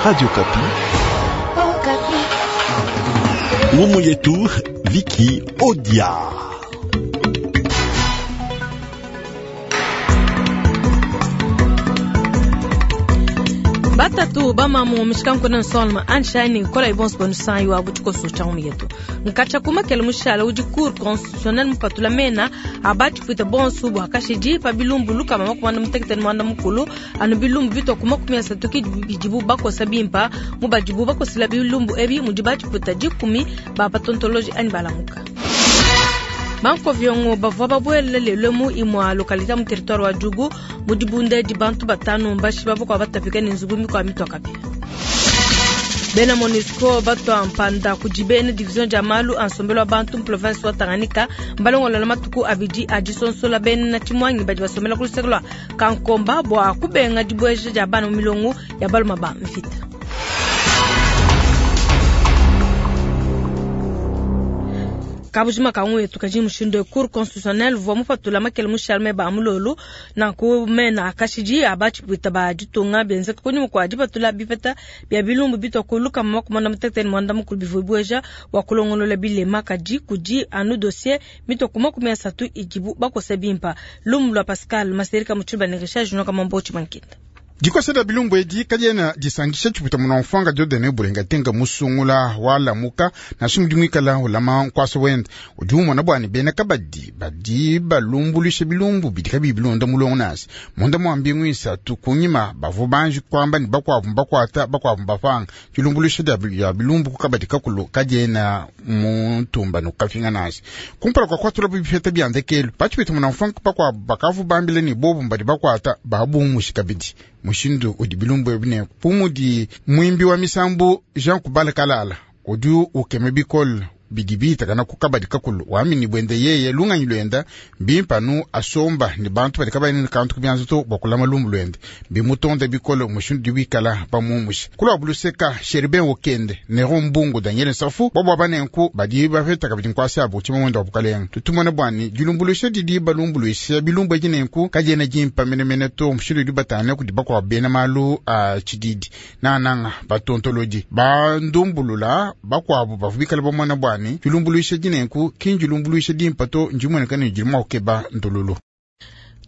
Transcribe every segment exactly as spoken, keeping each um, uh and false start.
Radio Okapi. Okapi. Ngumu yetu Viki Odia. Batatu bamamu mishikanku nsolma anshani kola ibonso bonu san yo abu tshikoso tsha mu yetu nkatsha kuma kele mushala udi cour constitutionnel mupatula mena abati fuita bonso bua kashidi pa bilumbu lukama makumanda mutekete mwanda mukulu anu bilumbu bitwa kuma kumi asatu ki bidibu bakosa bimpa mu badibu bakosela bilumbu ebi mudi batifuta dikumi ba patontoloji ani balamuka. Bankoviongo bavua babuele lelo mu imua localité mu territoire wa Djugu mu dibunda di bantu batanu mbashi bavua kwa batapika ne nzubu mikua mitua kapia. Bena MONUSCO batwa mpanda kudi bena division dia malu a nsombelu wa bantu mu province wa Tanganyika mbalongolola matuku abidi a disonsola bena tshimwangi badi basomela ku luseke lua Kankomba bua kubenga dibueja dia bana mu milongo ya baluma ba mvita. Kabujima kangu yetu kaji mushindo cour constitutionnelle vwa mupatula makele mushalme ba mulolo na ku mena akashidi abachi bwita ba ditunga benze kuni mukwa dipatula bipeta bya bilumbu bitwa kuluka makumanda mutekete mwanda mukulu bivubweja wa kulongolola bilema kadi kudi anu dossier mitwa kuma kumia satu idibu bakose bimpa lumu lwa Pascal Maserika muchiba ne Richard Junior Kamambo Chimankita. Dikosa dia bilumbu edi kadiena disangisha tshiputa muna mfanga Dieudonné Bulenga tenga musungula walamuka nansha mudi muikala ulama nkuasa wende udi umona bwani bena kabadi badi balumbulusha bilumbu bidi kabiyi bilonda mulongo nasi munda mua mbingu isatu kunyima bavua banji kuamba ne bakuabu mbakuata bakuabu mbapanga dilumbuluisha dia bilumbu ku kabadi kakulu kadiena muntumba nukafinga nasi kumpala kua kuatula bipeta bia ndekelu batshipita muna mfanga bakuabu bakavu bambile ne bobu mbadi bakuata babumushi kabidi mushindu udi bilumbu ebi ne pumudi mwimbi wa misambu Jean Kubala Kalala udi ukeme bikole bidi biitakana ku kabadi kakulu wamini bwende yeye lunganyi lwenda mbimpanu asomba ni bantu badi kabayi ne kantu kubyanza to bua kulama lumbu lwende bimutonda bikole mushindu udi wikala bamumusha kulwa buluseka Sherben Okende Nero Mbungu Daniel Nsafu bobo abanenku badi bapeta kabidi nkuasa abu tshima mwenda wa bukalenga tutumona bwani dilumbuluisha didi balumbuluisha bilumbu edi nenku kadiena dimpa menemene to mushindu udi batane kudi bakuabu bena malu a tshididi nananga batontolodi bandumbulula bakuabu bavua bikala bamona bwani dilumbuluisha dinenku kindilumbuluisha dimpa to ndimuoneka ne dili mua kukeba ndululu.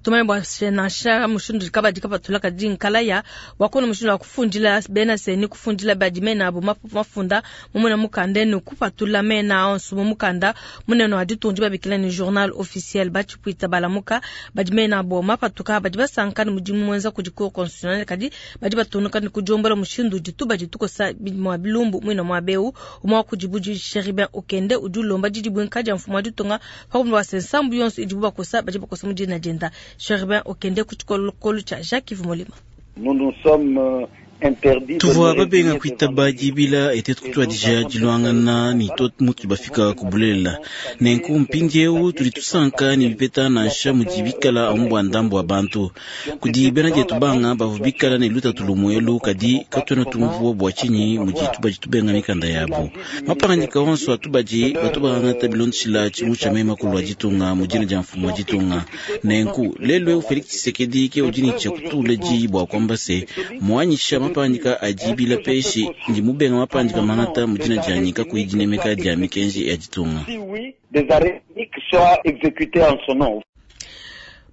Tumanye bua nansha mushindu kabadi kapatula kadi nkalaya wakona mushindu wa kufundila bena seni kufundila badi mena abo mafunda mumuna mukanda ne kupatula mena onso mu mukanda munene wa ditunga babikila ne journal officiel batshipuita balamuka badi mena abo mapatuka badi basanka ne mudimu mwenza kudi cour constitutionnelle kadi badi batunuka ne kujombola mushindu dituba ditukosa mua bilumbu muina mua beu umwa kudibudi Sheribin Okende udi ulomba didibwenka dia mfumu wa ditunga pakumba sensambu yonso idibu bakosa badi bakosa mu dina dienda. Sheribin Okende kuchikolokolo cha Jacques Molima. Nous nous sommes interdits. Tuvua babenga kuitaba dibila ete tukutwadija diluangana ni to mutu bafika kubulela nenku mpindiewu tudi tusanka ni bipeta nansha mudi bikala amu bua ndambu wa bantu kudi bena dietu banga bavua bikala ne lutatu lumuelu kadi katuena tumvua bua tshinyi mudi tubadi tubenga mikanda yabu mapangandika onso atubadi batu bangata bilondeshila tshimu tshia mema kulua ditunga mu dina dia mfumu wa ditunga nenku lelu eu Felix Tshisekedi ke udi ne tshia kutula diyi bua kuamba se muanyisha mapandika adibila peshi ndi mubenga mapandika mangata mu dina dianyi kakuyi dinemeka dia mikenji ya ditunga.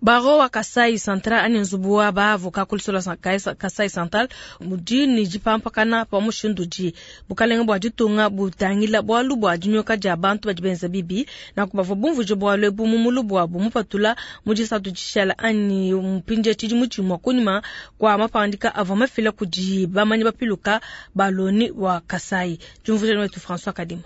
Baro wa Kasai Central ani nzubu wa ba avoka kulisola Kasai Central mudi ni dipampakana pa mushindu di bukalenga bua ditunga butangila bualu bua dinyoka dia bantu badi benza bibi na kubavua bumvuje bualu ebu mu mulu buabu mupatula mu disatu dishala ani mpindie tshidimu tshimue kunyima kua mapandika avua mafila kudi bamanyi bapiluka baloni wa Kasai. Diumvuija wetu François Kadima.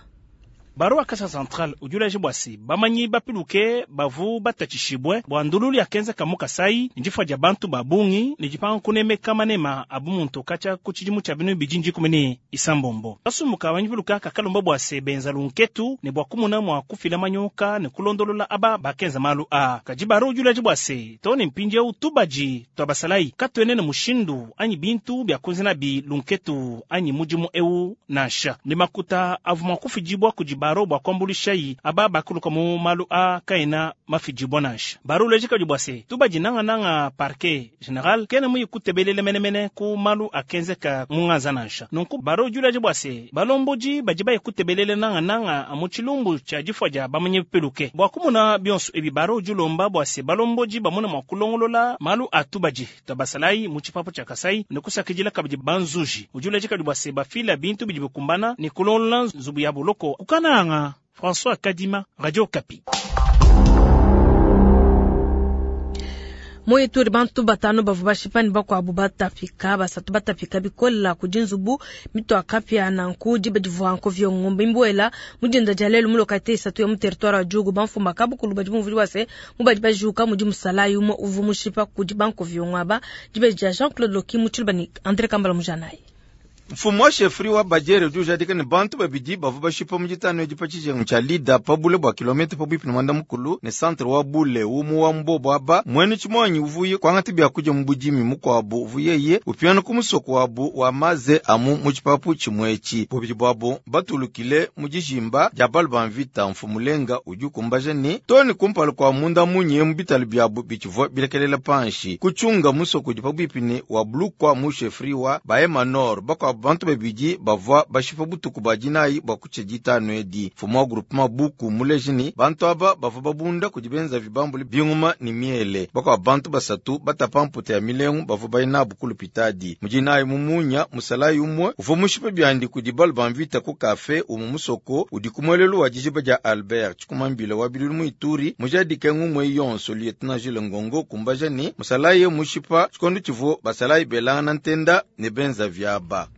Baro wa Kasai Central udi ulaje bua se bamanyi bapiluke bavu batatshishibwe bua ndululu ya kenza mu Kasai ndifua dia bantu ba bungi ne dipanga kunemeka manema abu muntu katshia ku tshidimu tshia binu bidi ndikumi ne isambombo kasumbuka bamanyi piluka kakalomba bua se benza lunketu ne bua kumuna mua kufila manyoka ne kulondolola aba bakenza malu a kadi baro udi ulaje bua se to ne mpindiewu tubadi tua basalayi katuene ne mushindu anyi bintu bia kuenza nabi lunketu anyi mudimu ewu nansha ne makuta avua mua kufidibua kudi baro bua kuambulishayi aba bakuluka mu malu a kaena mafidibua nansha. Baro uleja kabidi bua se tubadi nangananga parquet general kena muyi kutebelele menemene ku malu akenzeka mu nganza nansha. Nunku baro udi uleja bua se balombodi badi baye kutebelele nangananga mu tshilumbu tshia difua dia bamanyi peluke. Bua kumona bionso ebi baro udi ulomba bua se balombodi bamona mua kulongolola malu a tubadi tua basalayi mu tshipapu tshia Kasai ne kusakidila kabidi banzuji. Udi uleja kabidi bua se bafila bintu bidi bikumbana ne kulongolola nzubu ya buloko. Kukananga François Kadima, Radio Okapi. Mu Ituri bantu batano bavua bashipa ne bakuabu batapika basatu batapika bikola kudi nzubu mitua kapia nanku diba divua nkovyo ngombe imbuela mu dinda dia lelu mu localité isatu ya mu territoire wa Djugu. Bamfumba kabukulu badi bumvua bua se mu badi bajuka mudi musalayi umue uvua mushipa kudi bankovyo ngaba diba dia Jean-Claude Loki mu Tshiluba ne André Kambala Mujanayi. Mfumu wa shefri wa Bajere udi ujadika ne bantu babidi bavua bashipa mu ditanu edi pa tshijengu tshia Lida pa bule bua kilomita pabuipi ne mwanda mukulu ne centre wa Bule umu wa mbobo aba mwene tshimuanyi uvuye kuangata biakudia mu budimi mukuabu uvuyeye upiana ku musoko wabu wa maze amu mu tshipapu tshimue etshi. Bubidi buabu batulukile mu dijimba dia balu ba mvita. Mfumu Lenga udi ukumbaja ne toni kumpala kua munda munye mu bitalu biabu bitshivua bilekelela panshi kutshiunga musoko udi pabuipi ne wa Bulukwa mu shefri wa Bahema Nord. Bakuabu bantu babidi bavua bashipa butuku bua dinayi bua kutshia ditanu edi. Mfumu wa groupement buku muleji ne bantu aba bavua babunda kudi benzavi bambule binguma ne miele. Bakuabu bantu basatu batapa mputa ya milengu bavua bayi nabu ku lupitadi. Mu dinayi mu munya musalayi umue uvua mushipa biandi kudi balu ba mvita ku kafe umu musoko udi ku muelelu wa dijiba dia Albert. Tshikumambila wa bilulu mu Ituri mujadike ngumue yonso lieutenant Jules Ngongo kumbaja ne musalayi mushipa tshikondo tshivua basalayi belangana ntenda ne benzavi aba.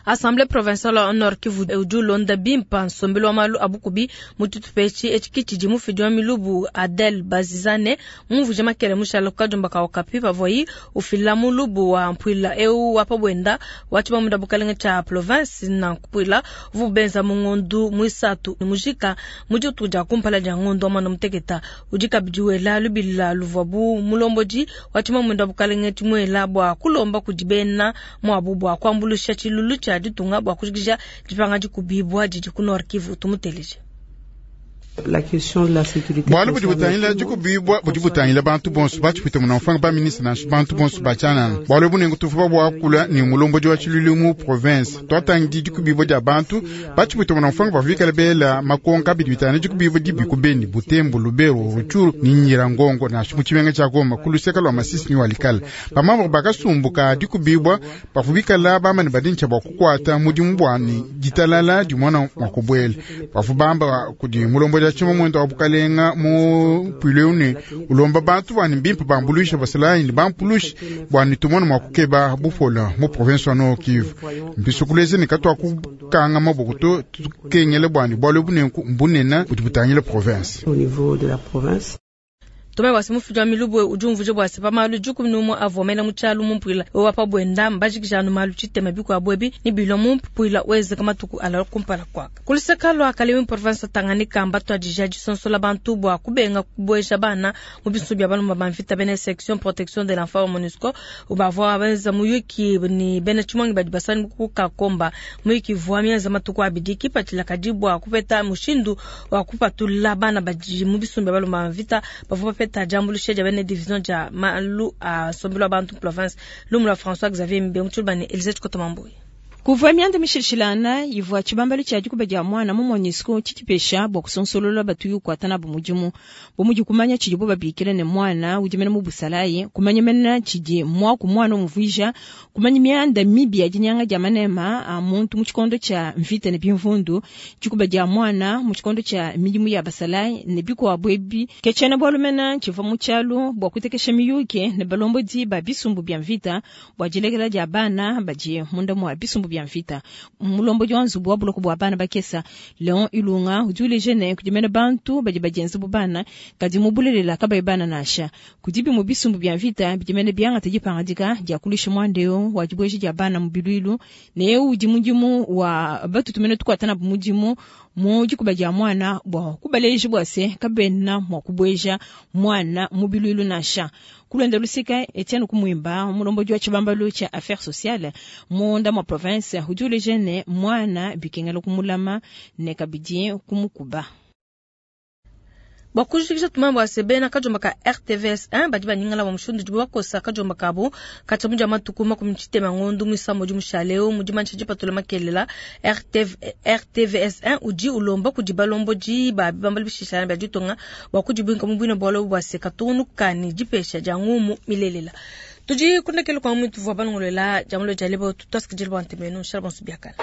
Assemblée provinciale wa Nord Kivu udi ulonda bimpa nsombelu wa malu a bukubi mu tshitupa etshi. Etshi ke tshidi mufidi wa milubu Adel Bazizane mumvuije makele mushala ku kadiomba ka Okapi pavuayi ufila mulubu wa mpuila eu wa pa buenda wa tshibamunda bukalenge tshia province. Nanku mpuila uvua benza mu ngondu muisatu ne mujika mu dituku dia kumpala dia ngondu wa mwanda muteketa. Udi kabidi wela lubila luvua bu mulombodi wa tshibamunda bukalenge tshimuela bua kulomba kudi bena muabu bua kuambuluisha tshilulu tshia ditunga bua kujikija dipanga dikubibua didi ku Nord Kivu. Tumuteleje. Bualu budi butangila dikubibua budi butangila bantu bonso batshipite muna mfanga ba ministre nansha bantu bonso batshianana. Bualu bunengu tuvua buakula ne mulombodi wa tshilulu mu province twatangidi dikubibua dia bantu batshipite muna mfanga bavua bela makonka bidi bitangila dikubibua dibi ku Beni, Butembo, Lubero, Rutshuru ni Nyiragongo nansha mu tshimenga tshia Goma ku luseka lua Masisi ni Walikale. Bamambre bakasumbuka dikubibua bavua bikala bamane badintsha bua kukuata mudimu bua ne ditalala dimona mua kubuela. Bavua bamba kudi mulombodi wa tshima mwendo wa bukalenga mu pwileu ne ulomba bantu bwani mbimpe bambuluisha basalayi ne bampulushi bwani tumone mua kukeba bupola mu province wa Nord Kivu. Mbisukuleze ne katwa kukanga maboko to tukengele bwani bualu bunenku mbunena budi butangila province. Tome bua se mufidi wa milubu udi umvuija bua se pa malu dikumi n'umue avua mela mu tshialu mu mpuila wa pa buenda mbajikija anu malu tshitema bikuabu ebi ne bilua mu mpuila wezeka matuku ala kumpala kuaka. Ku luseka lua Kalemi province Tanganyika mbatuadija disonsola bantu bua kubenga kubueja bana mu bisumbu bia balomba ba mvita. Bena section protection de l'enfant wa MONUSCO bavua benza muyuki ni bena tshimongi badi basani ku Kakomba. Muyuki vua mienza matuku abidi kipatshila kadi bua kupeta mushindu wa kupatula bana badi mu bisumbu bia balomba ba mvita. Bavua bapeta diambuluisha dia bena division dia malu a nsombelu wa bantu province. Lumu lua François Xavier Mbe mu Tshiluba ne Elisabeth Kotomambuyi. Kuvua mianda mishilashilana ivua tshibambalu tshia dikuba dia mwana mu MONUSCO tshitshipesha bua kusonsolola batuyi kuata nabu mudimu bu mudi kumanya tshidibo babikila ne mwana udi mena mu busalayi, kumanya mena tshidi mwaku mwana umvuija, kumanya mianda mibi ya dinyanga dia manema a muntu mu tshikondo tshia mvita ne bimvundu, dikuba dia mwana mu tshikondo tshia midimu ya basalayi ne bikuabu ebi. Ke tshiena bualu mena tshivua mu tshialu bua kutekesha miyuki ne balombodi ba bisumbu bia mvita bua dilekela dia bana badi munda mua bisumbu bia mvita. Mulombodi wa nzubu wa buloko bua bana bakesa Leon Ilunga udi uleja ne kudi mena bantu badi badienza bu bana kadi mu bulelela kabayi bana nansha. Kudibi mu bisumbu bia mvita bidi mene biangata dipangadika dia kulusha mwandeo wa dibueja dia bana mu bilwilu ne eu udi mudimu wa batutu mene tukuata nabu mudimu Mu dikuba dia mwana bwa kubaleja bwa se kabena mwa kubweja mwana mu bilwilu nansha. Kulwenda lusika Etienne Kumwimba mulomboji wa chibambalu cha affaires sociales munda mwa province udi ne mwana bikengela kumulama ne kabidi kumukuba. Bwa kujikija tumambo ya sebena kajomba ka R T V S un badi banyingala wa mushindu dibu bakosa kajomba kabo katshia mudia matuku makumi tshitema ngondu muisambo udi mushaleo mudi mansha dipatula makelela R T V S un udi ulomba kudi balombodi ba bibambala bishishana bia ditunga bwa kudibwinka mu bwina bwalo bwa se katungunuka ne dipesha dia ngumu milelela. Tudi kundekele kwa mwitu vwa balongolela jamulo dia lebo tutwasikidile bwa ntemeno, shala bonso biakala.